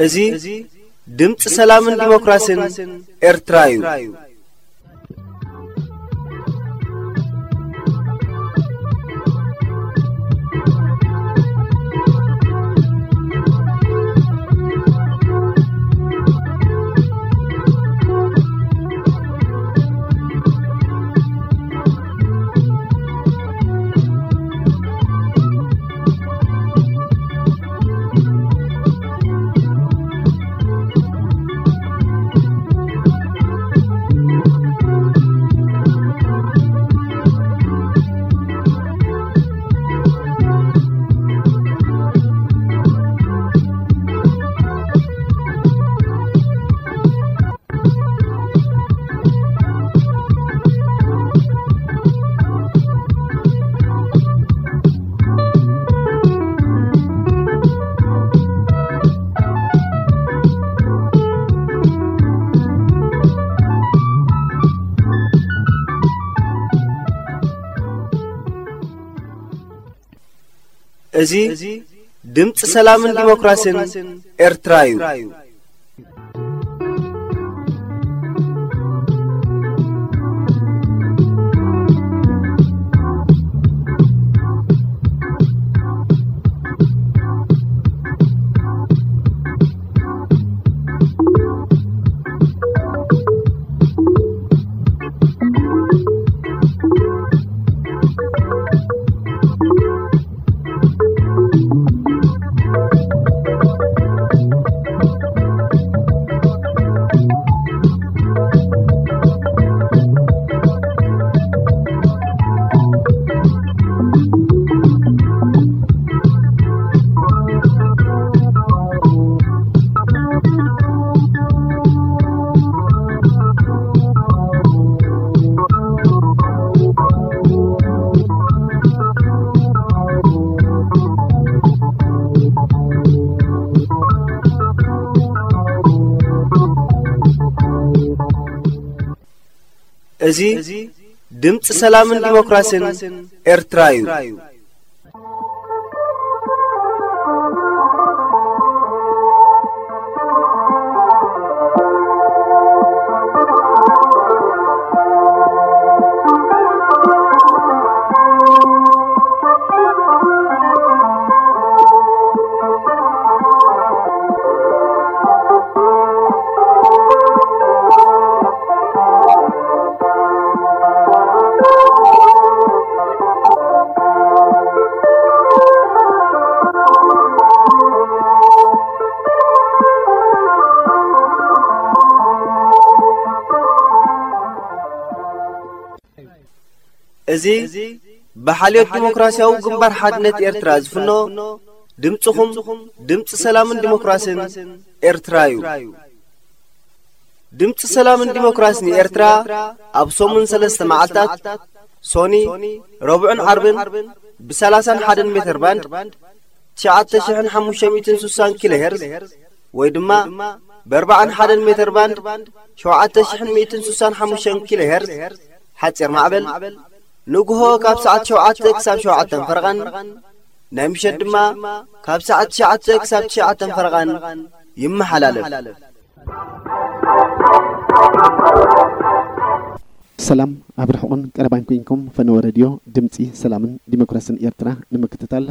እዚ ድምፂ ሰላምን ዲሞክራሲን ኤርትራ እዩ። እዚ ድምፂ ሰላምን ዲሞክራሲን ኤርትራ እዩ። እዚ ድምፂ ሰላምን ዲሞክራሲን ኤርትራ እዩ። እዚ ብሓልዮት ዲሞክራሲያዊ ግንባር ሓድነት ኤርትራ ዝፍኖ ድምፅኹም፣ ድምፂ ሰላምን ዲሞክራሲን ኤርትራ እዩ። ድምፂ ሰላምን ዲሞክራሲን ኤርትራ ኣብ ሰሙን ሰለስተ መዓልታት፣ ሶኒ፣ ረቡዕን ዓርብን፣ ብ30 ን ሓደ ሜተር ባንድ፣ ትሽዓተ ሽሕን ሓሙሽተ ሚእትን ስሳን ኪሎ ሄርዝ፣ ወይ ድማ ብ ኣርባዓን ሓደን ሜተር ባንድ፣ ሸውዓተ ሽሕን ሚእትን ስሳን ሓሙሽተን ኪሎ ሄርዝ፣ ሓፂር ማዕበል፣ ንግሆ ካብ ሰዓት ሸውዓተ ክሳብ ሸውዓተን ፈረቓን፣ ናይ ምሸት ድማ ካብ ሰዓት ትሽዓተ ክሳብ ትሽዓተን ፈረቓን ይመሓላለፍ። ሰላም ኣብ ርሑቕን ቀረባን ኮይንኩም፣ ፈነወ ሬድዮ ድምፂ ሰላምን ዲሞክራስን ኤርትራ ንምክትታል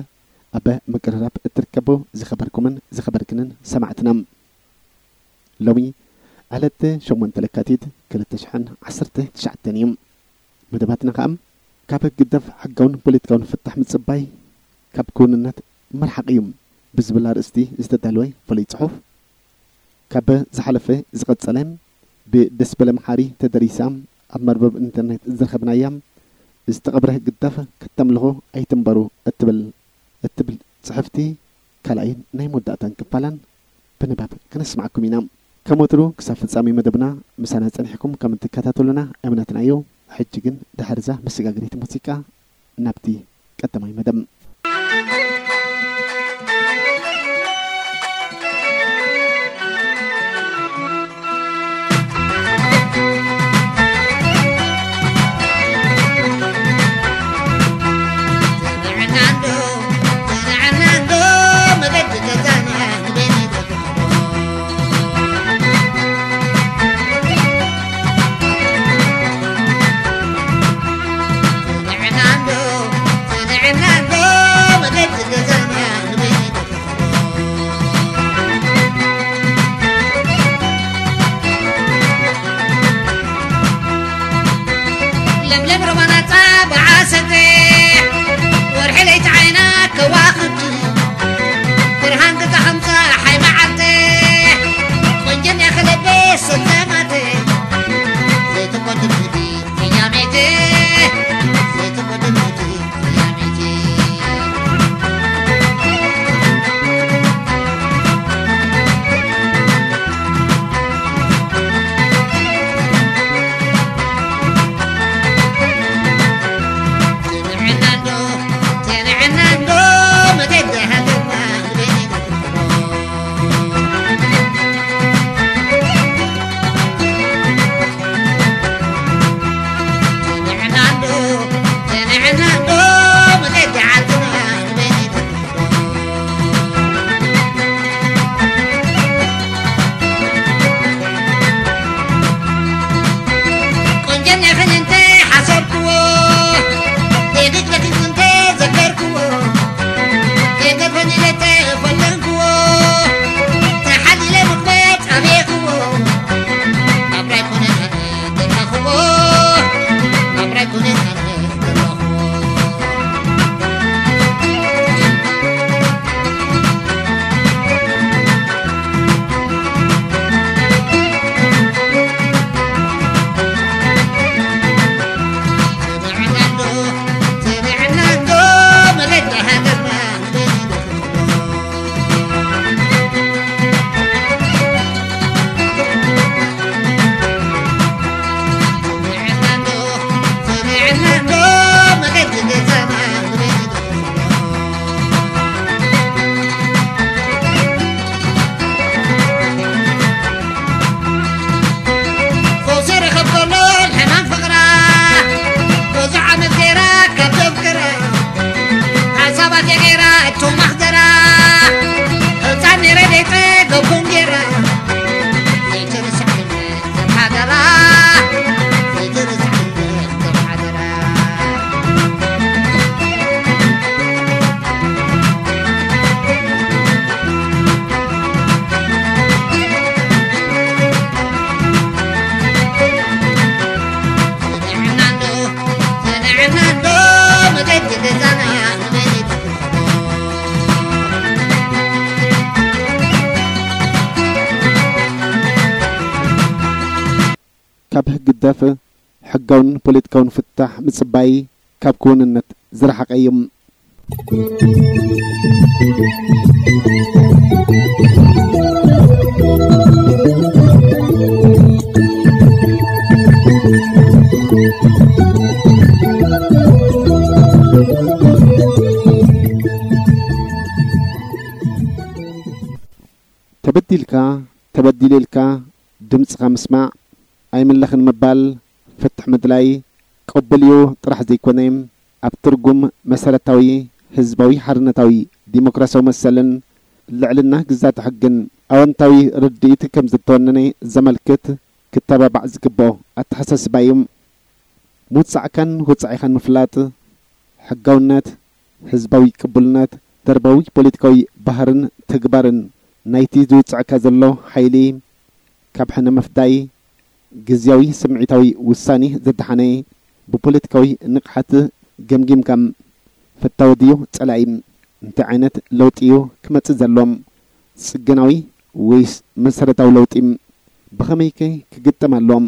ኣብ ምቅርራብ እትርከቡ ዝኸበርኩምን ዝኸበርክንን ሰማዕትና፣ ሎሚ ዕለት ሸሞንተ ለካቲት ክልተ ሽሕን ዓሰርተ ትሽዓተን እዩ። መደባትና ከኣ ካብ ግደፍ ሕጋውን ፖለቲካውን ፍታሕ ምጽባይ ካብ ክውንነት ምርሓቕ እዩ ብዝብል ኣርእስቲ ዝተዳለወ ፍሉይ ጽሑፍ፣ ካብ ዝሓለፈ ዝቐጸለ፣ ብደስበለ መሓሪ ተደሪሳ ኣብ መርበብ ኢንተርኔት ዝረኸብናያ፣ ዝተቐብረ ግዳፍ ከተምልኹ ኣይትንበሩ እትብል፣ እትብል ጽሕፍቲ ካልኣይን ናይ መወዳእታን ክፋላን ብንባብ ከነስምዓኩም ኢና። ከም ወትሩ ክሳብ ፍጻሜ መደብና ምሳና ጸኒሕኩም ከም እትከታተሉና እምነትና እዩ። ሕጂ ግን ድሕሪ እዛ መሰጋገሪት ሙዚቃ ናብቲ ቀዳማይ መደብ። ለምለም ሮማናታ ብዓሰተ ወርሒ ለይቲ ዓይና ከዋኽብቲ ብርሃን ገዛ ሓምሳ ሓይ መዓልተ ቆንጀን ያኸለበ ሰላማተ ዘይተቆድርቲ ቅያሜተ ዘይተቆድርቲ ቅያሜተ ካብ ህግደፍ ሕጋውን ፖለቲካውን ፍታሕ ምጽባይ ካብ ክውንነት ዝረሓቐ እዩ። ተበዲልካ፣ ተበዲለ ኢልካ ድምጽኻ ምስማዕ፣ ኣይምለኽን ምባል፣ ፍትሕ ምድላይ ቅቡል እዩ ጥራሕ ዘይኮነ፣ ኣብ ትርጉም መሰረታዊ ህዝባዊ ሓርነታዊ ዲሞክራሲያዊ መሰልን ልዕልና ግዛት ሕግን ኣወንታዊ ርድኢት ከም ዝተወነነ ዘመልክት ክተባባዕ ዝግብኦ ኣተሓሳስባ እዩ። ምውጻዕካን ወጻኢኻን ምፍላጥ፣ ሕጋውነት፣ ህዝባዊ ቅቡልነት፣ ደርባዊ ፖለቲካዊ ባህርን ተግባርን ናይቲ ዝውጽዐካ ዘሎ ሓይሊ ካብ ሕነ ምፍዳይ፣ ግዝያዊ ስምዒታዊ ውሳኔ ዘድሓነ፣ ብፖለቲካዊ ንቕሓት ገምጊምካ፣ ፈታዊ ድዩ ጸላኢ? እንታይ ዓይነት ለውጢ እዩ ክመጽእ ዘሎ? ጽገናዊ ወይስ መሰረታዊ ለውጢ? ብኸመይከ ክግጠም ኣለዎም?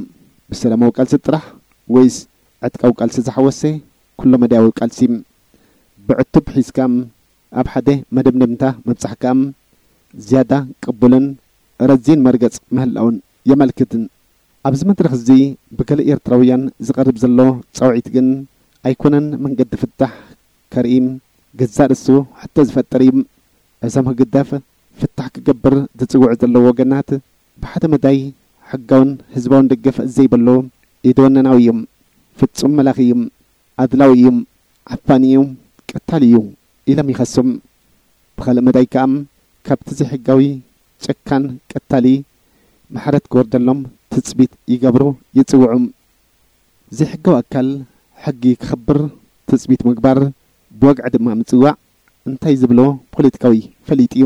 ብሰላማዊ ቃልሲ ጥራሕ ወይስ ዕጥቃዊ ቃልሲ ዝሓወሰ ኩሎ መዳያዊ ቃልሲ? ብዕቱብ ሒዝካ ኣብ ሓደ መደምደምታ ምብጻሕካ ዝያዳ ቅቡልን ረዚን መርገጽ ምህላውን የመልክት። ኣብዚ መድረኽ እዚ ብገለ ኤርትራውያን ዝቐርብ ዘሎ ጻውዒት ግን ኣይኮነን መንገዲ ፍታሕ ከርኢ፣ ገዛእ ርእሱ ሕቶ ዝፈጥር እዩ። እዞም ህግደፍ ፍታሕ ክገብር ዝጽውዑ ዘለዉ ወገናት ብሓደ መዳይ ሕጋውን ህዝባውን ደገፍ ዘይብሉ ኢደወነናዊ እዩ፣ ፍጹም መላኺ እዩ፣ ኣድላዊ እዩ፣ ዓፋኒ እዩ፣ ቀታሊ እዩ ኢሎም ይኸሱ። ብኻልእ መዳይ ከኣ ካብቲ ዘይሕጋዊ ጨካን ቀታሊ ምሕረት ክወርደሎም ትጽቢት ይገብሩ፣ ይጽውዑ። ዘይሕጋዊ ኣካል ሕጊ ክኽብር ትጽቢት ምግባር፣ ብወግዒ ድማ ምጽዋዕ እንታይ ዝብሎ ፖለቲካዊ ፈሊጥ እዩ።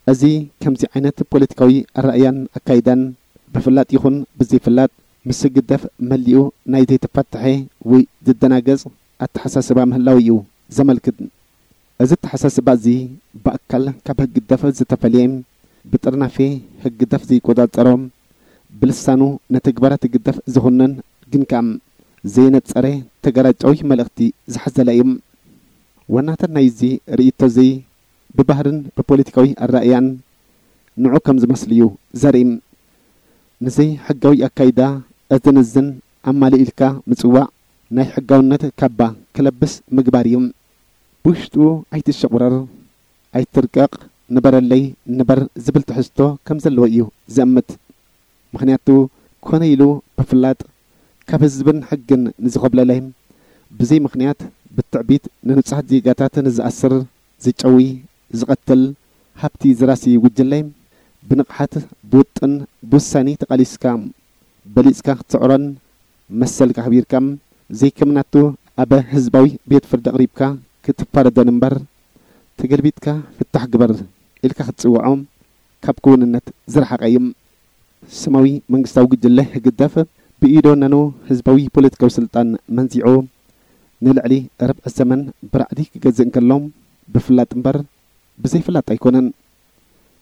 እዚ ከምዚ ዓይነት ፖለቲካዊ ኣረኣእያን ኣካይዳን ብፍላጥ ይኹን ብዘይፍላጥ ምስ ህግደፍ መሊኡ ናይ ዘይተፈትሐ ወይ ዝደናገጽ ኣተሓሳስባ ምህላው እዩ ዘመልክት። እዚ ኣተሓሳስባ እዚ ብኣካል ካብ ህግደፍ ዝተፈልየ፣ ብጥርናፌ ህግደፍ ዘይቆጻጸሮ፣ ብልሳኑ ንተግባራት ህግደፍ ዝኹንን ግን ከኣ ዘይነጸረ ተገራጫዊ መልእኽቲ ዝሓዘለ እዩ። ዋናታት ናይዚ ርእይቶ እዚ ብባህርን ብፖለቲካዊ ኣረኣእያን ንዑ ከም ዝመስል እዩ ዘርኢ። ንዘይ ሕጋዊ ኣካይዳ እዝን እዝን ኣማልእ ኢልካ ምጽዋዕ ናይ ሕጋውነት ካባ ክለብስ ምግባር እዩ። ብውሽጡ ኣይትሸቑረር፣ ኣይትርቀቕ፣ ንበረለይ፣ ንበር ዝብል ትሕዝቶ ከም ዘለዎ እዩ ዘእምት። ምኽንያቱ ኮነ ኢሉ ብፍላጥ ካብ ህዝብን ሕግን ንዝኾብለለ፣ ብዘይ ምኽንያት ብትዕቢት ንንጹሃት ዜጋታት ንዝኣስር፣ ዝጨዊ፣ ዝቐትል፣ ሃብቲ ዝራሲ ጉጅለ ብንቕሓት፣ ብውጥን ብውሳኔ ተቓሊስካ በሊጽካ ክትስዕሮን መሰልካ ኣኽቢርካ ዘይከምናቱ ኣብ ህዝባዊ ቤት ፍርዲ ኣቕሪብካ ክትፋረዶን እምበር ተገልቢጥካ ፍታሕ ግበር ኢልካ ክትጽውዖ ካብ ክውንነት ዝረሓቐ እዩ። ስማዊ መንግስታዊ ጉጅለ ህግደፍ ብኢዶ ነኑ ህዝባዊ ፖለቲካዊ ስልጣን መንዚዑ ንልዕሊ ርብዒ ዘመን ብራዕዲ ክገዝእ እንከሎ ብፍላጥ እምበር ብዘይፍላጥ ኣይኮነን።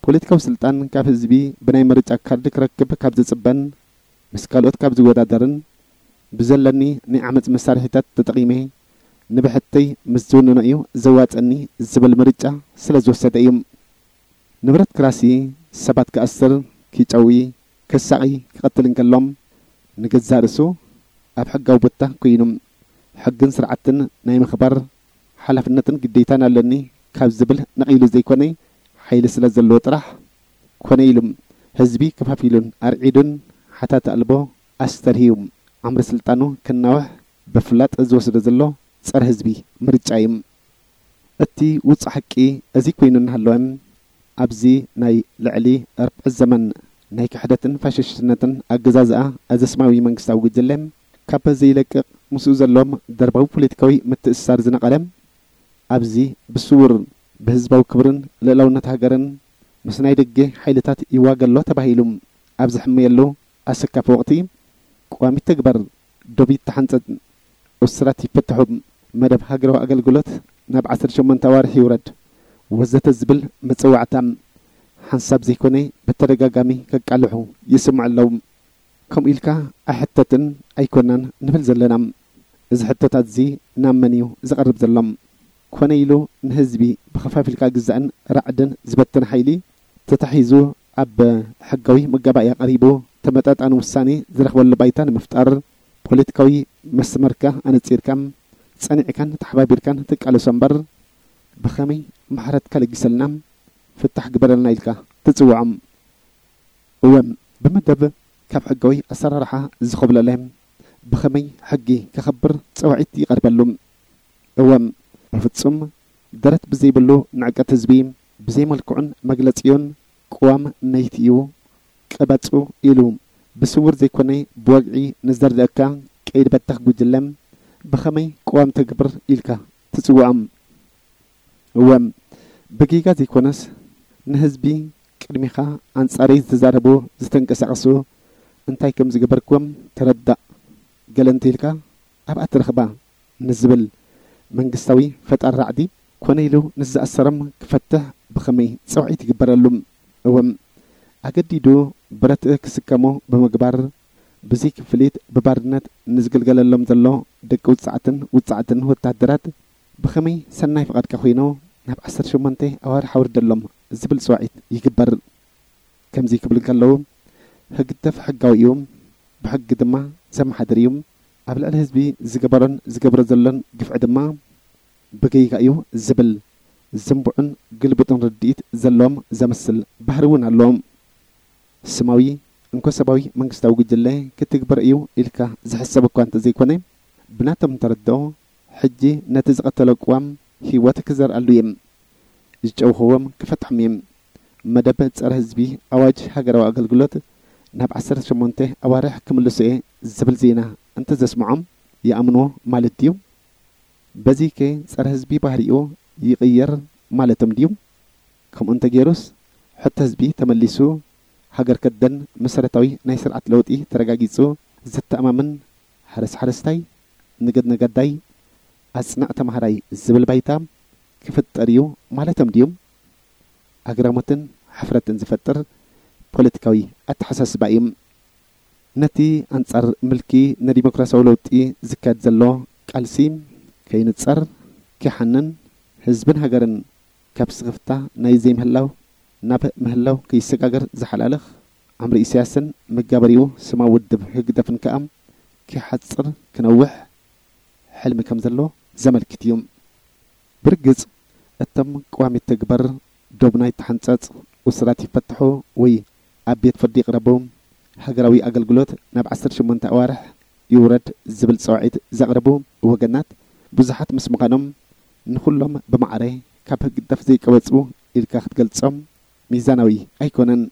ፖለቲካዊ ስልጣን ካብ ህዝቢ ብናይ ምርጫ ካርድ ክረክብ ካብ ዝጽበን ምስ ካልኦት ካብ ዝወዳደርን ብዘለኒ ናይ ዓመጽ መሳርሒታት ተጠቒመ ንብሕተይ ምስ ዝውንኖ እዩ ዘዋጸኒ ዝብል ምርጫ ስለ ዝወሰደ እዩ። ንብረት ክራሲ ሰባት ክኣስር፣ ክጨዊ፣ ክሳቒ፣ ክቐትል እንከሎም ንገዛእ ርእሱ ኣብ ሕጋዊ ቦታ ኮይኑ ሕግን ስርዓትን ናይ ምኽባር ሓላፍነትን ግዴታን ኣለኒ ካብ ዝብል ነቒሉ ዘይኮነ ሓይሊ ስለ ዘለዎ ጥራሕ ኮነ ኢሉ ህዝቢ ከፋፊሉን ኣርዒዱን ሓታት ኣልቦ ኣስተርህዩ ዓምሪ ስልጣኑ ክናውሕ ብፍላጥ ዝወስዶ ዘሎ ጸረ ህዝቢ ምርጫ እዩ። እቲ ውጹእ ሓቂ እዚ ኮይኑ እናሃለወ ኣብዚ ናይ ልዕሊ ኣርብዓ ዘመን ናይ ክሕደትን ፋሽስትነትን ኣገዛዝኣ እዚ ስማዊ መንግስታዊ ጉጅለ ካብ ዘይለቅቕ ምስኡ ዘሎም ደርባዊ ፖለቲካዊ ምትእስሳር ዝነቐለ ኣብዚ ብስውር ብህዝባዊ ክብርን ልእላውነት ሃገርን ምስ ናይ ደገ ሓይልታት ይዋገ ኣሎ ተባሂሉ ኣብ ዝሕመየሉ ኣሰካፊ ወቕቲ ቀዋሚት ተግባር ዶብ ይተሓንጸጽ፣ እሱራት ይፈትሑ፣ መደብ ሃገራዊ ኣገልግሎት ናብ ዓሰርተ ሸሞንተ ኣዋርሕ ይውረድ ወዘተ ዝብል መጸዋዕታ ሓንሳብ ዘይኮነ ብተደጋጋሚ ከቃልሑ ይስምዑ ኣለዉ። ከምኡ ኢልካ ኣይሕተትን ኣይኮናን ንብል ዘለና። እዚ ሕቶታት እዚ ናብ መን እዩ ዝቐርብ ዘሎ? ኮነ ኢሉ ንህዝቢ ብኸፋፊልካ ግዛእን ራዕድን ዝበትን ሓይሊ ተታሒዙ ኣብ ሕጋዊ መጋባእያ ቀሪቡ ተመጣጣኒ ውሳኔ ዝረኽበሉ ባይታ ንምፍጣር ፖለቲካዊ መስመርካ ኣነጺርካ ጸኒዕካን ተሓባቢርካን ትቃለሶ እምበር ብኸመይ ምሕረትካ ለጊሰልና ፍታሕ ግበረልና ኢልካ ትጽውዖም። እወ፣ ብመደብ ካብ ሕጋዊ ኣሰራርሓ ዝኾብለለ ብኸመይ ሕጊ ከኸብር ጸዋዒት ይቐርበሉ። እወ፣ ብፍጹም ደረት ብዘይብሉ ንዕቀት ህዝቢ ብዘይመልክዑን መግለጺኡን ቅዋም ነይትኡ ቅበጹ ኢሉ ብስውር ዘይኮነ ብወግዒ ንዘርድኣካ ቀይዲ በታኽ ጉጅለ ብኸመይ ቅዋም ተግብር ኢልካ ትጽውዖም? እወ፣ ብጌጋ ዘይኮነስ፣ ንህዝቢ ቅድሚኻ ኣንጻረይ ዝተዛረቡ ዝተንቀሳቐሱ እንታይ ከም ዝገበርክዎም ተረዳእ፣ ገለ እንተኢልካ ኣብኣ ትረኽባ ንዝብል መንግስታዊ ፈጣሪ ራዕዲ፣ ኮነ ኢሉ ንዝኣሰሮም ክፈትሕ ብኸመይ ጸውዒት ይግበረሉ? እወም፣ ኣገዲዱ ብረት ክስከሙ ብምግባር፣ ብዘይ ክፍሊት ብባርነት ንዝግልገለሎም ዘሎ ደቂ ውጽዓትን ውጽዓትን ወታደራት ብኸመይ ሰናይ ፍቓድካ ኮይኑ ናብ ዓሰርተ ሸሞንተ ኣዋርሕ ኣውርደሎም ዝብል ጽውዒት ይግበር። ከምዚ ክብል እንከለዉ፣ ህግደፍ ሕጋዊ እዩ፣ ብሕጊ ድማ ዘመሓድር እዩ። ኣብ ልዕሊ ህዝቢ ዝገበሮን ዝገብሮ ዘሎን ግፍዒ ድማ ብጌጋ እዩ ዝብል ዝንቡዕን ግልቡጥን ርድኢት ዘለዎም ዘምስል ባህሪ እውን ኣለዎም። ስማዊ እንኮ-ሰባዊ መንግስታዊ ጉጅለ ክትግበር እዩ ኢልካ ዝሕሰብ እኳ እንተዘይኮነ፣ ብናቶም ተረድኦ ሕጂ ነቲ ዝቐተሎ ቅዋም ህይወት ክዘርኣሉ እዮም። ዝጨውኽዎም ክፈትሖም እዮም። መደብ ጸረ ህዝቢ ኣዋጅ ሃገራዊ ኣገልግሎት ናብ ዓሰርተ ሸሞንተ ኣዋርሕ ክምልሶ እየ ዝብል ዜና እንተዘስምዖም ይኣምንዎ ማለት ድዩ? በዚከ ጸረ ህዝቢ ባህሪኡ ይቕየር ማለቶም ድዩ? ከምኡ እንተገይሩስ፣ ሕቶ ህዝቢ ተመሊሱ፣ ሃገር ከደን መሰረታዊ ናይ ስርዓት ለውጢ ተረጋጊጹ፣ ዘተኣማምን ሓረስ ሓረስታይ፣ ንገድ ነጋዳይ፣ ኣጽንዕ ተማሃራይ ዝብል ባይታ ክፍጠር እዩ ማለቶም ድዮም? ኣግራሞትን ሕፍረትን ዝፈጥር ፖለቲካዊ ኣተሓሳስባ እዩ። ነቲ ኣንጻር ምልኪ ንዲሞክራሲያዊ ለውጢ ዝካየድ ዘሎ ቃልሲ ከይንጸር፣ ከይሓንን፣ ህዝብን ሃገርን ካብ ስኽፍታ ናይ ዘይምህላው ናብ ምህላው ከይሰጋገር ዝሓላልኽ፣ ዕምሪ ኢሳያስን መጋበሪኡ ስማዊ ውድብ ህግደፍን ከኣ ከይሓጽር ክነውሕ ሕልሚ ከም ዘሎ ዘመልክት እዩ። ብርግጽ፣ እቶም ቅዋም ይተግበር፣ ዶብና ይተሓንጸጽ፣ እሱራት ይፈትሑ ወይ ኣብ ቤት ፍርዲ ይቕረቡ፣ ሃገራዊ ኣገልግሎት ናብ ዓሰርተ ሸሞንተ ኣዋርሕ ይውረድ ዝብል ጻውዒት ዘቕረቡ ወገናት ብዙሓት ምስ ምዃኖም፣ ንኹሎም ብማዕረ ካብ ህግደፍ ዘይቀበጹ ኢልካ ክትገልጾም ሚዛናዊ ኣይኮነን።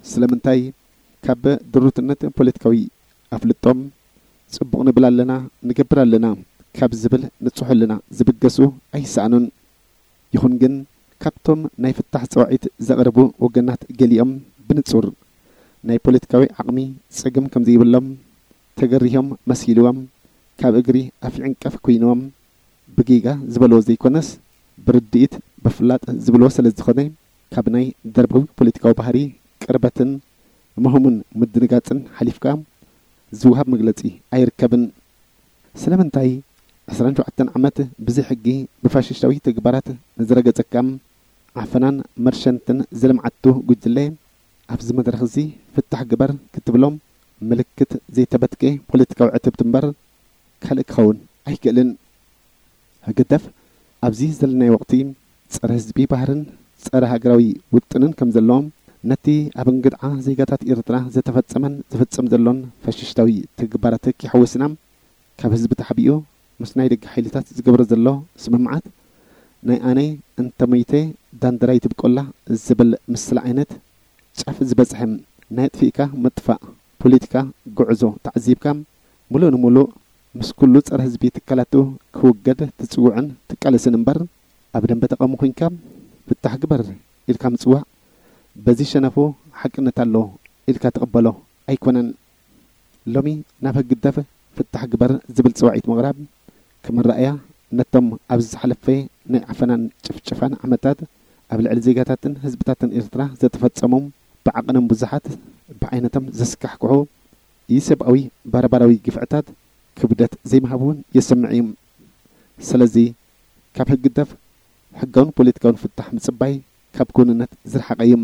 ስለምንታይ? ካብ ድሩትነት ፖለቲካዊ ኣፍልጦም፣ ጽቡቕ ንብል ኣለና፣ ንገብር ኣለና ካብ ዝብል ንጹሕ ህልና ዝብገሱ ኣይሰኣኑን። ይኹን ግን፣ ካብቶም ናይ ፍታሕ ጸዋዒት ዘቕርቡ ወገናት ገሊኦም ብንጹር ናይ ፖለቲካዊ ዓቕሚ ጸገም ከም ዘይብሎም ተገሪሆም መሲልዎም፣ ካብ እግሪ ኣፍዒንቀፍ ኮይንዎም፣ ብጌጋ ዝበልዎ ዘይኮነስ፣ ብርድኢት ብፍላጥ ዝብልዎ ስለ ዝኾነ፣ ካብ ናይ ደርባዊ ፖለቲካዊ ባህሪ ቅርበትን ምህሙን ምድንጋጽን ሓሊፍካ ዝወሃብ መግለጺ ኣይርከብን። ስለምንታይ ዕስራን ሸውዓተን ዓመት ብዘይ ሕጊ ብፋሽስታዊ ተግባራት ንዝረገጸካ፣ ዓፈናን መርሸንትን ዝለምዓቱ ጉጅለ፣ ኣብዚ መድረኽ እዚ ፍታሕ ግበር ክትብሎም ምልክት ዘይተበትከ ፖለቲካዊ ዕትብቲ እምበር ካልእ ክኸውን ኣይክእልን። ህግደፍ ኣብዚ ዘለናዮ ወቕቲ ጸረ ህዝቢ ባህርን ጸረ ሃገራዊ ውጥንን ከም ዘለዎም፣ ነቲ ኣብ እንግድዓ ዜጋታት ኤርትራ ዝተፈጸመን ዝፍጸም ዘሎን ፋሽስታዊ ተግባራት ከይሓወስና፣ ካብ ህዝቢ ተሓቢኡ ምስ ናይ ደገ ሓይልታት ዝገብሮ ዘሎ ስምምዓት፣ ናይ ኣነ እንተሞይተ ዳንደራ ይትብቆላ ዝብል ምስላ ዓይነት ጫፍ ዝበጽሐ ናይ ኣጥፊእካ ምጥፋእ ፖለቲካ ጉዕዞ ተዓዚብካ፣ ምሉእ ንምሉእ ምስ ኩሉ ጸረ ህዝቢ ትካላቱ ክውገድ ትጽውዕን ትቃለስን እምበር፣ ኣብ ደንበ ተቃውሞ ኮይንካ ፍታሕ ግበር ኢልካ ምጽዋዕ፣ በዚ ሸነፉ ሓቅነት ኣሎ ኢልካ ትቕበሎ ኣይኮነን። ሎሚ ናብ ህግደፍ ፍታሕ ግበር ዝብል ጽዋዒት ምቕራብ፣ ከም ኣረኣእያ ነቶም ኣብዚ ዝሓለፈ ናይ ዓፈናን ጭፍጨፋን ዓመታት ኣብ ልዕሊ ዜጋታትን ህዝብታትን ኤርትራ ዝተፈጸሙ፣ ብዓቐኖም ብዙሓት፣ ብዓይነቶም ዘስካሕክሑ ኢሰብኣዊ ባርባራዊ ግፍዕታት ክብደት ዘይምሃብ እውን የስምዕ እዩ። ስለዚ፣ ካብ ህግደፍ ሕጋውን ፖለቲካውን ፍታሕ ምጽባይ ካብ ክውንነት ዝረሓቐ እዩ።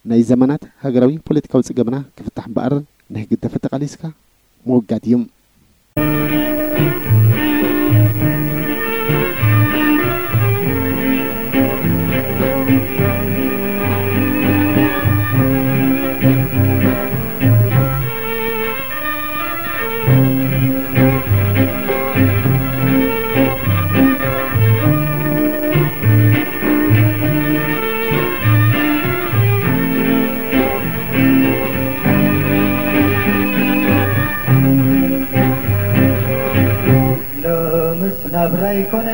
ናይ ዘመናት ሃገራዊ ፖለቲካዊ ጸገምና ክፍታሕ እምበኣር፣ ንህግደፍ ተቓሊስካ ምውጋድ እዩ። ሎምስ ናብራ ኣይኮነ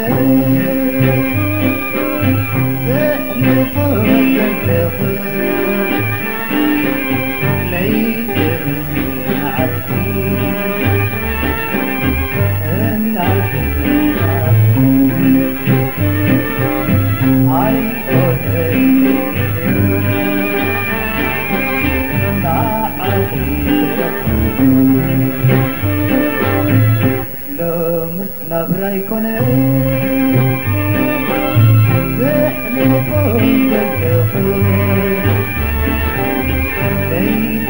ኣይኮነን ዘሕልፎም ዘለኹ ለይቲ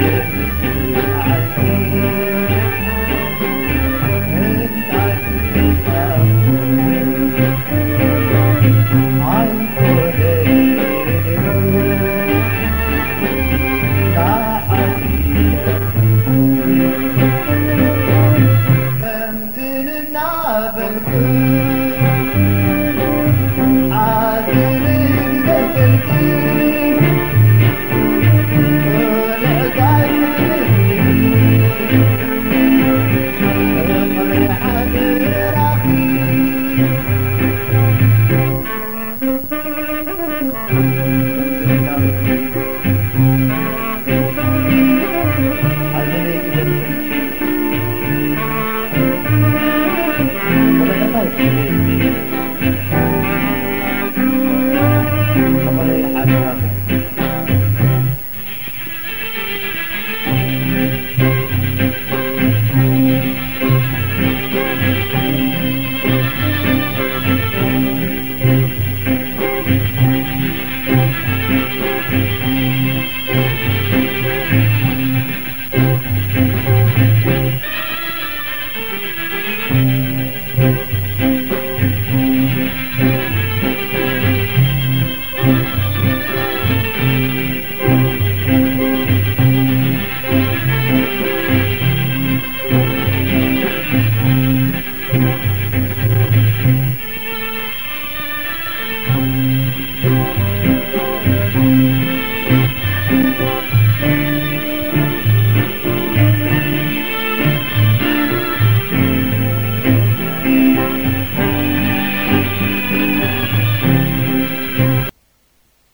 መዓልቲ ምእንታን ምእንታን ኣይኮነን ንዓኺ ከምቲ እናበልኩ ሓዘነይ ክገልጸልኪ፣ ቁልዕጋይ ክብለኪ፣ ፍቕሪ ሓደራኺ።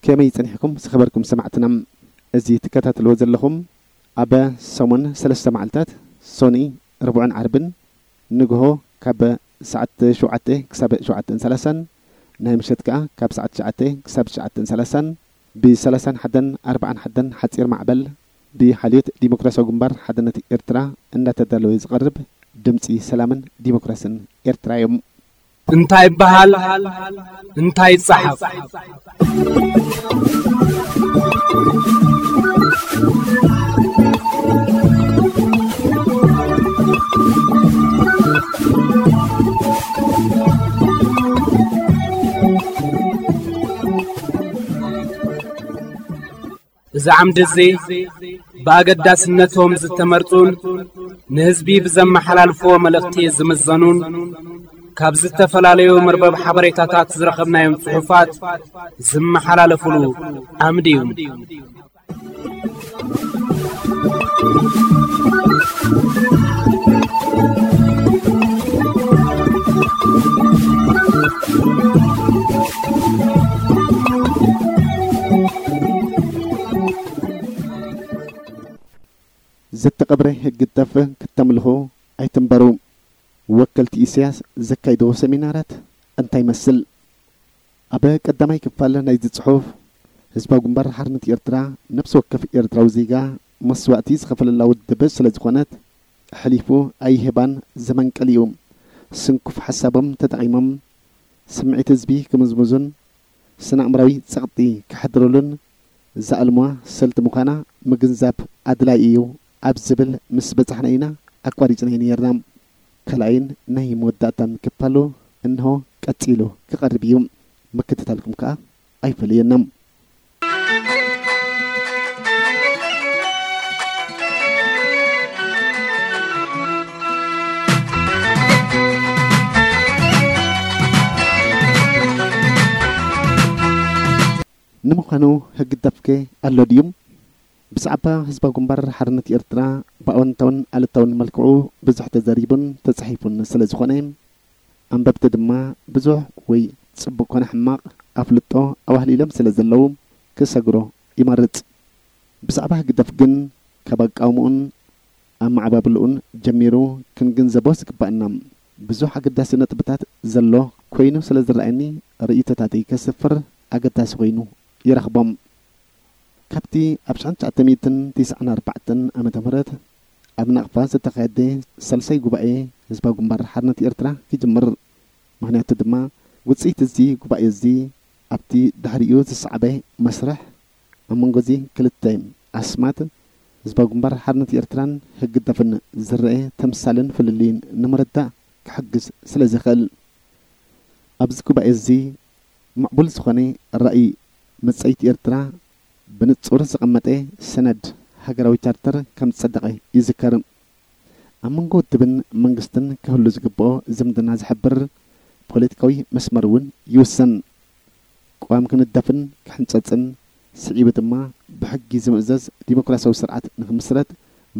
ከመይ ጸኒሕኩም ዝኸበርኩም ሰማዕትና? እዚ ትከታተልዎ ዘለኹም ኣብ ሰሙን ሰለስተ መዓልታት ሶኒ፣ ረቡዕን ዓርብን ንግሆ ካብ ሰዓት ሸውዓተ ክሳብ ሸውዓተን ሰላሳን፣ ናይ ምሸት ከኣ ካብ ሰዓት ትሽዓተ ክሳብ ትሽዓተን ሰላሳን፣ ብ ሰላሳን ሓደን ኣርባዓን ሓደን ሓጺር ማዕበል ብሓልዮት ዲሞክራሲያዊ ግንባር ሓድነት ኤርትራ እንዳተዳለወ ዝቐርብ ድምጺ ሰላምን ዲሞክራስን ኤርትራ እዩ። እንታይ ይበሃል? እንታይ ይጸሓፍ? እዚ ዓምዲ እዚ ብኣገዳስነቶም ዝተመርጹን ንህዝቢ ብዘመሓላልፍዎ መልእኽቲ ዝምዘኑን ካብ ዝተፈላለዩ መርበብ ሓበሬታታት ዝረኸብናዮም ጽሑፋት ዝመሓላለፉሉ ዓምዲ እዩ። ዝተቐብረ ህግደፍ ክተምልኹ ኣይትንበሩ። ወከልቲ ኢሳያስ ዘካይድዎ ሰሚናራት እንታይ ይመስል? ኣብ ቀዳማይ ክፋል ናይዚ ጽሑፍ፣ ህዝባዊ ግንባር ሓርነት ኤርትራ፣ ነፍሲ ወከፍ ኤርትራዊ ዜጋ መስዋእቲ ዝኸፈለላ ውድብ ስለ ዝኾነት፣ ኣሕሊፉ ኣይህባን። ዘመን ቀሊኡ። ስንኩፍ ሓሳቦም ተጠቒሞም ስምዒት ህዝቢ ክምዝምዙን ስነ-ኣእምራዊ ጸቕጢ ከሕድሩሉን ዝኣልሙዋ ስልቲ ምዃና ምግንዛብ ኣድላዪ እዩ ኣብ ዝብል ምስ በጻሕና ኢና ኣቋሪጽናዮ ነይርና። ካልኣይን ናይ መወዳእታን ክፋሉ እንሆ ቀጺሉ ክቐርብ እዩ። ምክትታልኩም ከኣ ኣይፈለየና። ንምዃኑ ህግደፍከ ኣሎ ድዩ? ብዛዕባ ህዝባዊ ግንባር ሓርነት ኤርትራ ብኣወንታውን ኣሉታውን መልክዑ ብዙሕ ተዘሪቡን ተጻሒፉን ስለ ዝኾነ፣ ኣንበብቲ ድማ ብዙሕ ወይ ጽቡቕ ኮነ ሕማቕ ኣፍልጦ ኣዋህሊሎም ስለ ዘለዉ ክሰግሮ ይመርጽ። ብዛዕባ ህግደፍ ግን ካብ ኣቃውምኡን ኣመዓባብልኡን ጀሚሩ ክንግንዘቦ ዝግባእና ብዙሕ ኣገዳሲ ነጥብታት ዘሎ ኮይኑ ስለ ዝረኣየኒ ርእይቶታተይ ከስፍር ኣገዳሲ ኮይኑ ይረኽቦም። ካብቲ ኣብ ሽሕን ትሽዓተ ሚእትን ትስዓን ኣርባዕተን ዓመተ ምህረት ኣብ ናቕፋ ዝተኻየደ ሳልሳይ ጉባኤ ህዝባዊ ግንባር ሓርነት ኤርትራ ክጅምር። ምኽንያቱ ድማ ውፅኢት እዚ ጉባኤ እዚ ኣብቲ ድሕሪኡ ዝሰዓበ መስርሕ ኣብ መንጎ እዚ ክልተ ኣስማት ህዝባዊ ግንባር ሓርነት ኤርትራን ህግደፍን ዝረአ ተምሳልን ፍልልይን ንምርዳእ ክሕግዝ ስለ ዝኽእል። ኣብዚ ጉባኤ እዚ ምዕቡል ዝኾነ ራእይ መጻኢት ኤርትራ ብንጹር ዘቐመጠ ሰነድ ሃገራዊ ቻርተር ከም ዝጸደቐ ይዝከር። ኣብ መንጎ ውድብን መንግስትን ክህሉ ዝግብኦ ዝምድና ዝሕብር ፖለቲካዊ መስመር እውን ይውሰን። ቅዋም ክንደፍን ክሕንጸጽን፣ ስዒቡ ድማ ብሕጊ ዝምእዘዝ ዲሞክራሲያዊ ስርዓት ንክምስረት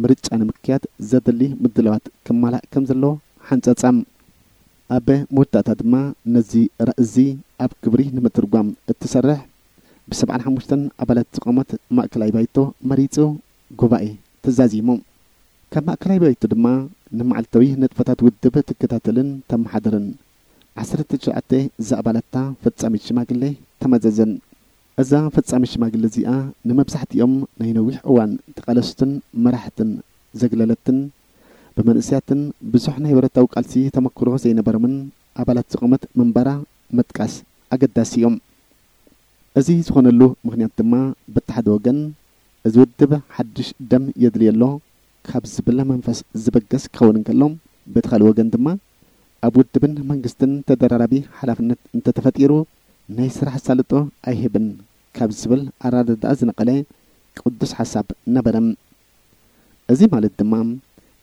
ምርጫ ንምክያድ ዘድሊ ምድላዋት ክማላእ ከም ዘለዎ ሓንጸጸ። ኣብ መወዳእታ ድማ ነዚ ራእዚ ኣብ ግብሪ ንምትርጓም እትሰርሕ ብሰብዓን ሓሙሽተን ኣባላት ዝቖመት ማእከላይ ባይቶ መሪጹ ጉባኤ ተዛዚሙ። ካብ ማእከላይ ባይቶ ድማ ንመዓልታዊ ንጥፈታት ውድብ ትከታተልን ተመሓድርን ዓሰርተ ትሽዓተ ዝኣባላታ ፈጻሚት ሽማግሌ ተመዘዘን። እዛ ፈጻሚት ሽማግሌ እዚኣ ንመብዛሕትኦም ናይ ነዊሕ እዋን ተቓለስትን መራሕትን ዘግለለትን ብመንእሰያትን ብዙሕ ናይ ብረታዊ ቃልሲ ተመክሮ ዘይነበሮምን ኣባላት ዝቖመት ምንባራ ምጥቃስ ኣገዳሲ እዩ። እዚ ዝኾነሉ ምኽንያት ድማ በቲ ሓደ ወገን እዚ ውድብ ሓድሽ ደም የድልዮ ኣሎ ካብ ዝብል መንፈስ ዝበገስ ክኸውን እንከሎ፣ በቲ ካልእ ወገን ድማ ኣብ ውድብን መንግስትን ተደራራቢ ሓላፍነት እንተተፈጢሩ ናይ ስራሕ ኣሳልጦ ኣይህብን ካብ ዝብል ኣረዳድኣ ዝነቐለ ቅዱስ ሓሳብ ነበረ። እዚ ማለት ድማ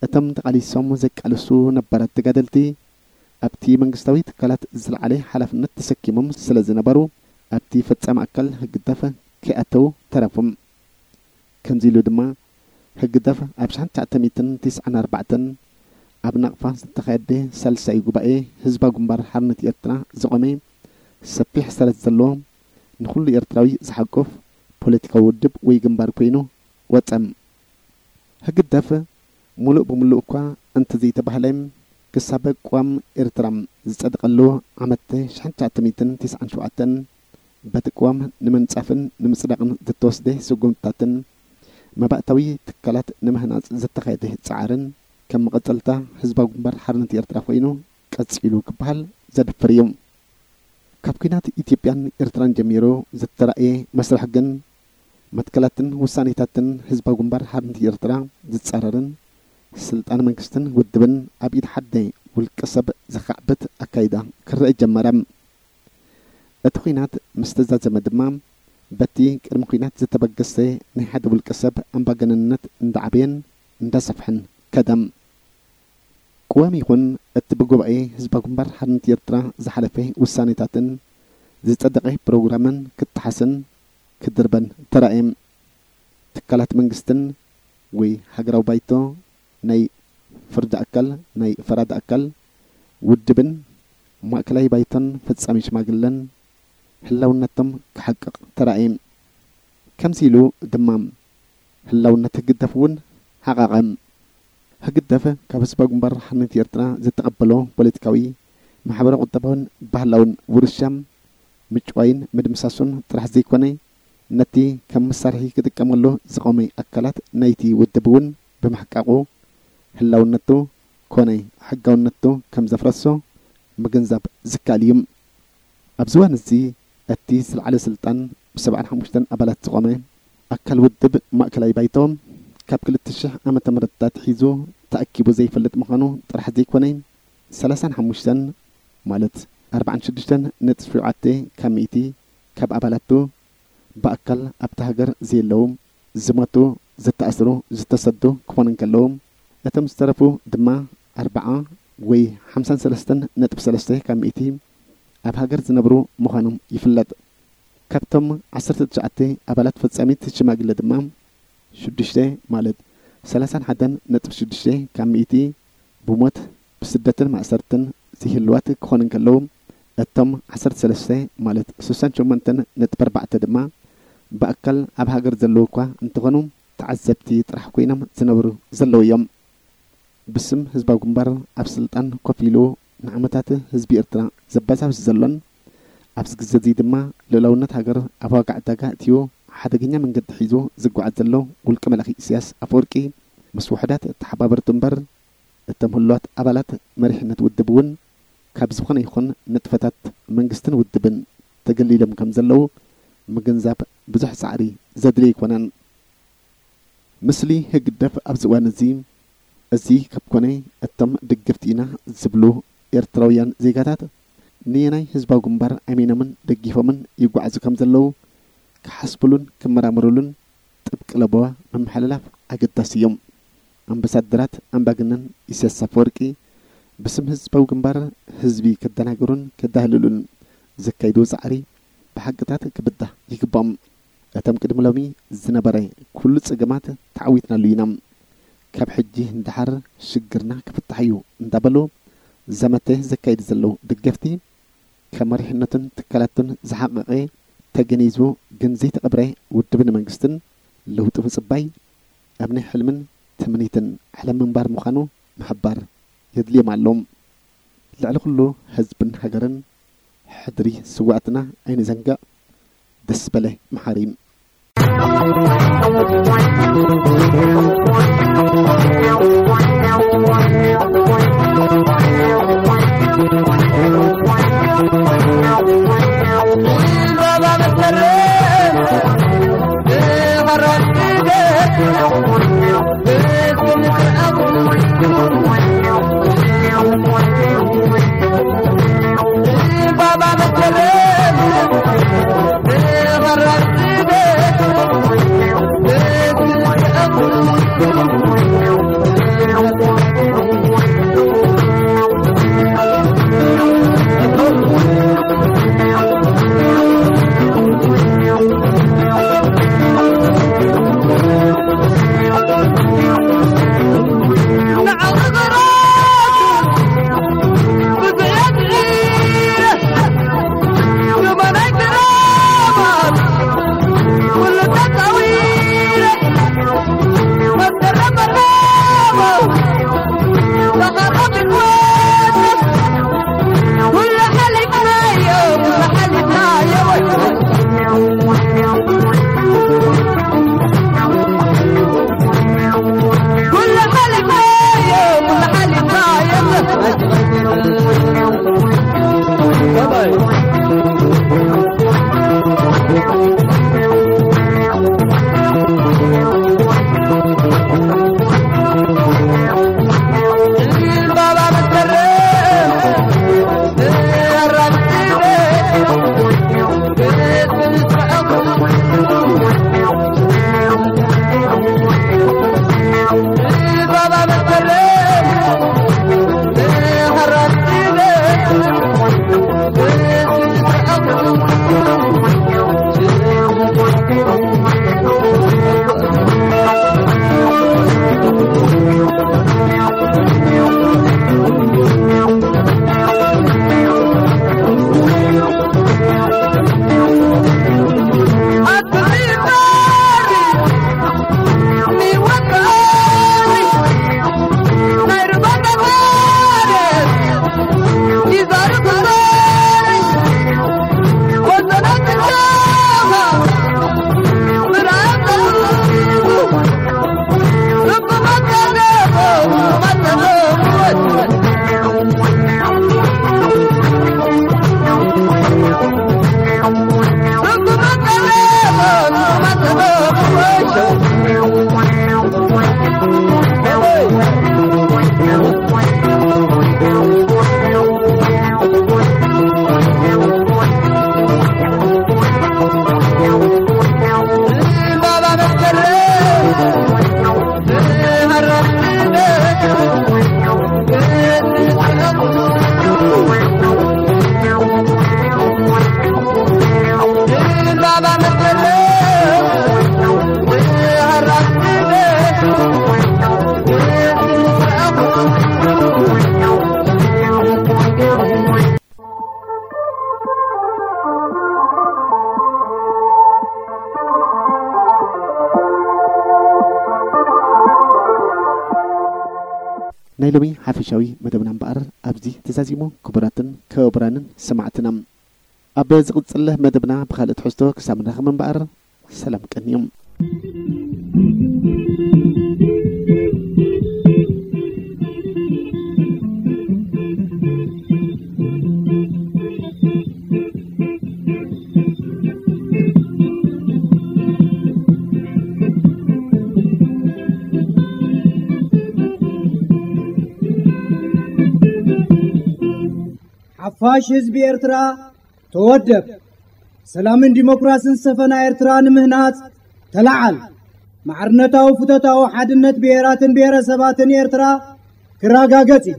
እቶም ተቓሊሶም ዘቃልሱ ነባራት ተጋደልቲ ኣብቲ መንግስታዊ ትካላት ዝለዓለ ሓላፍነት ተሰኪሞም ስለ ዝነበሩ ኣብቲ ፈጻሚ ኣካል ህግደፍ ከይኣተው ተረፉ። ከምዚ ኢሉ ድማ ህግደፍ ኣብ ሽሕን ትሽዓተ ሚእትን ትስዓን ኣርባዕተን ኣብ ናቕፋ ዝተኻየደ ሳልሳይ ጉባኤ ህዝባዊ ግንባር ሓርነት ኤርትራ ዝቖመ ሰፊሕ ሰረት ዘለዎ ንኹሉ ኤርትራዊ ዝሓቁፍ ፖለቲካዊ ውድብ ወይ ግንባር ኮይኑ ወጸ። ህግደፍ ሙሉእ ብሙሉእ እኳ እንተዘይተባህለ ክሳብ ቅዋም ኤርትራ ዝጸደቐሉ ዓመት ሽሕን ትሽዓተ ሚእትን ትስዓን ሸውዓተን በቲ ቅዋም ንምንጻፍን ንምጽዳቕን ዝተወስደ ስጉምትታትን መባእታዊ ትካላት ንምህናጽ ዝተኻየደ ጻዕርን ከም መቐጸልታ ህዝባዊ ግንባር ሓርነት ኤርትራ ኮይኑ ቀጺሉ ክበሃል ዘድፍር እዩ። ካብ ኲናት ኢትዮጵያን ኤርትራን ጀሚሩ ዝተራእየ መስርሕ ግን መትከላትን ውሳኔታትን ህዝባዊ ግንባር ሓርነት ኤርትራ ዝጻረርን ስልጣን መንግስትን ውድብን ኣብ ኢድ ሓደ ውልቀ ሰብ ዘኻዕብት ኣካይዳ ክረአ ጀመረ። እቲ ኲናት ምስ ተዛዘመ ድማ በቲ ቅድሚ ኲናት ዝተበገሰ ናይ ሓደ ውልቀ ሰብ ኣምባገነንነት እንዳዓበየን እንዳሰፍሐን ከደ። ቅዋም ይኹን እቲ ብጉባኤ ህዝባዊ ግንባር ሓርነት ኤርትራ ዝሓለፈ ውሳኔታትን ዝጸደቐ ፕሮግራምን ክጠሓስን ክድርበን ተራእየ። ትካላት መንግስትን ወይ ሃገራዊ ባይቶ፣ ናይ ፍርዲ ኣካል፣ ናይ ፈራዲ ኣካል፣ ውድብን ማእከላይ ባይቶን ፈጻሚ ሽማግለን ህላውነቶም ክሓቅቕ ተራእየ። ከምዚ ኢሉ ድማ ህላውነት ህግደፍ እውን ሓቐቐ። ህግደፍ ካብ ህዝባዊ ግንባር ሓርነት ኤርትራ ዝተቐበሎ ፖለቲካዊ፣ ማሕበራዊ፣ ቁጠባውን ባህላውን ውርሻ ምጭዋይን ምድምሳሱን ጥራሕ ዘይኮነ፣ ነቲ ከም መሳርሒ ክጥቀመሉ ዝቐመ ኣካላት ናይቲ ውድብ እውን ብምሕቃቑ፣ ህላውነቱ ኮነ ሕጋውነቱ ከም ዘፍረሶ ምግንዛብ ዝከኣል እዩ። ኣብዚ እዋን እዚ እቲ ዝለዓለ ስልጣን ብሰብዓን ሓሙሽተን ኣባላት ዝቖመ ኣካል ውድብ ማእከላይ ባይቶ ካብ ክልተ ሽሕ ዓመተ ምህረት ኣትሒዙ ተኣኪቡ ዘይፈልጥ ምዃኑ ጥራሕ ዘይኮነ፣ ሰላሳን ሓሙሽተን ማለት ኣርባዓን ሽዱሽተን ነጥቢ ሸውዓተ ካብ ሚእቲ ካብ ኣባላቱ ብኣካል ኣብታ ሃገር ዘየለዉ፣ ዝሞቱ፣ ዝተኣስሩ፣ ዝተሰዱ ክኾኑ እንከለዉ፣ እቶም ዝተረፉ ድማ ኣርብዓ ወይ ሓምሳን ሰለስተን ነጥቢ ሰለስተ ካብ ሚእቲ ኣብ ሃገር ዝነብሩ ምዃኖም ይፍለጥ። ካብቶም ዓሰርተ ትሽዓተ ኣባላት ፈጻሚት ሽማግለ ድማ ሽዱሽተ ማለት ሰላሳን ሓደን ነጥቢ ሽዱሽተ ካብ ሚእቲ ብሞት ብስደትን ማእሰርትን ዘይህልዋት ክኾኑ እንከለዉ፣ እቶም ዓሰርተ ሰለስተ ማለት ስሳን ሸሞንተን ነጥቢ ኣርባዕተ ድማ ብኣካል ኣብ ሃገር ዘለዉ እኳ እንተኾኑ፣ ተዓዘብቲ ጥራሕ ኮይኖም ዝነብሩ ዘለዉ እዮም። ብስም ህዝባዊ ግንባር ኣብ ስልጣን ኮፍ ኢሉ ንዓመታት ህዝቢ ኤርትራ ዘባዛብስ ዘሎን ኣብዚ ግዜ እዚ ድማ ልኡላውነት ሃገር ኣብ ዋጋ ዕዳጋ እትዩ ሓደገኛ መንገዲ ሒዙ ዝጓዓዝ ዘሎ ውልቀ መላኺ ኢሳያስ ኣፈወርቂ ምስ ውሑዳት ተሓባበርቱ እምበር እቶም ህሉዋት ኣባላት መሪሕነት ውድብ እውን ካብ ዝኾነ ይኹን ንጥፈታት መንግስትን ውድብን ተገሊሎም ከም ዘለዉ ምግንዛብ ብዙሕ ጻዕሪ ዘድልዮ ኣይኮነን። ምስሊ ህግደፍ ኣብዚ እዋን እዚ፣ እዚ ካብ ኮነ እቶም ደገፍቲ ኢና ዝብሉ ኤርትራውያን ዜጋታት ንየናይ ህዝባዊ ግንባር ኣሚኖምን ደጊፎምን ይጓዓዙ ከም ዘለዉ ክሓስብሉን ክመራመሩሉን ጥብቂ ለበዋ ምምሕልላፍ ኣገዳሲ እዩ። ኣምባሳደራት ኣምባገነን ኢሳያስ ኣፈወርቂ ብስም ህዝባዊ ግንባር ህዝቢ ከደናግሩን ከዳህልሉን ዘካይድዎ ጻዕሪ ብሓቅታት ክብዳህ ይግባኦም። እቶም ቅድሚ ሎሚ ዝነበረ ኩሉ ጸገማት ተዓዊትናሉ ኢና። ካብ ሕጂ ንደሓር ሽግርና ክፍታሕ እዩ እንዳበሉ ዘመተ ዘካይዱ ዘለዉ ደገፍቲ፣ ካብ መሪሕነቱን ትካላቱን ዝሓቐቐ ተገኒዝዎ ግን ዘይተቐብረ ውድብን መንግስትን ለውጢ ምጽባይ ኣብ ናይ ሕልምን ትምኒትን ዓለም ምንባር ምዃኑ ምሕባር የድልዮም ኣሎ። ልዕሊ ኩሉ ህዝብን ሃገርን ሕድሪ ስዋእትና ኣይንዘንግዕ። ደስ በለ መሓሪ። ናይ ሎሚ ሓፈሻዊ መደብና እምበኣር ኣብዚ ተዛዚሙ። ክቡራትን ክቡራንን ሰማዕትና፣ ኣብ ዝቕጽል መደብና ብኻልእ ትሕዝቶ ክሳብ ንራኸብ እምበኣር፣ ሰላም ቀንዮም። ፋሽ ህዝቢ ኤርትራ ተወደብ። ሰላምን ዲሞክራስን ሰፈና ኤርትራ ንምህናጽ ተለዓል። ማዕርነታዊ ፍቶታዊ ሓድነት ብሄራትን ብሄረሰባትን ኤርትራ ክረጋገጽ እዩ።